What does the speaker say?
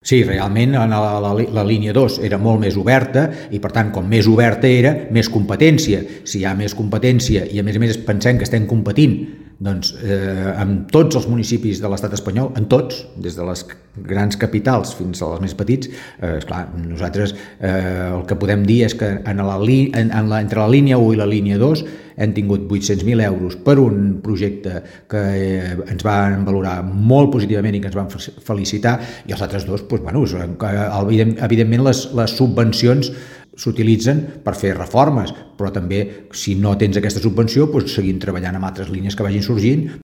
Sí, realment la línia 2 era molt més oberta i, per tant, com més oberta era, més competència. Si hi ha més competència i, a més, pensem que estem competint amb tots els municipis de l'estat espanyol, en tots, des de les grans capitals fins als més petits, esclar, nosaltres el que podem dir és que entre la línia 1 i la línia 2 hem tingut 800.000 euros per un projecte que ens van valorar molt positivament i que ens van felicitar, i els altres dos, evidentment les subvencions s'utilitzen per fer reformes, però també si no tens aquesta subvenció seguim treballant amb altres línies que vagin sorgint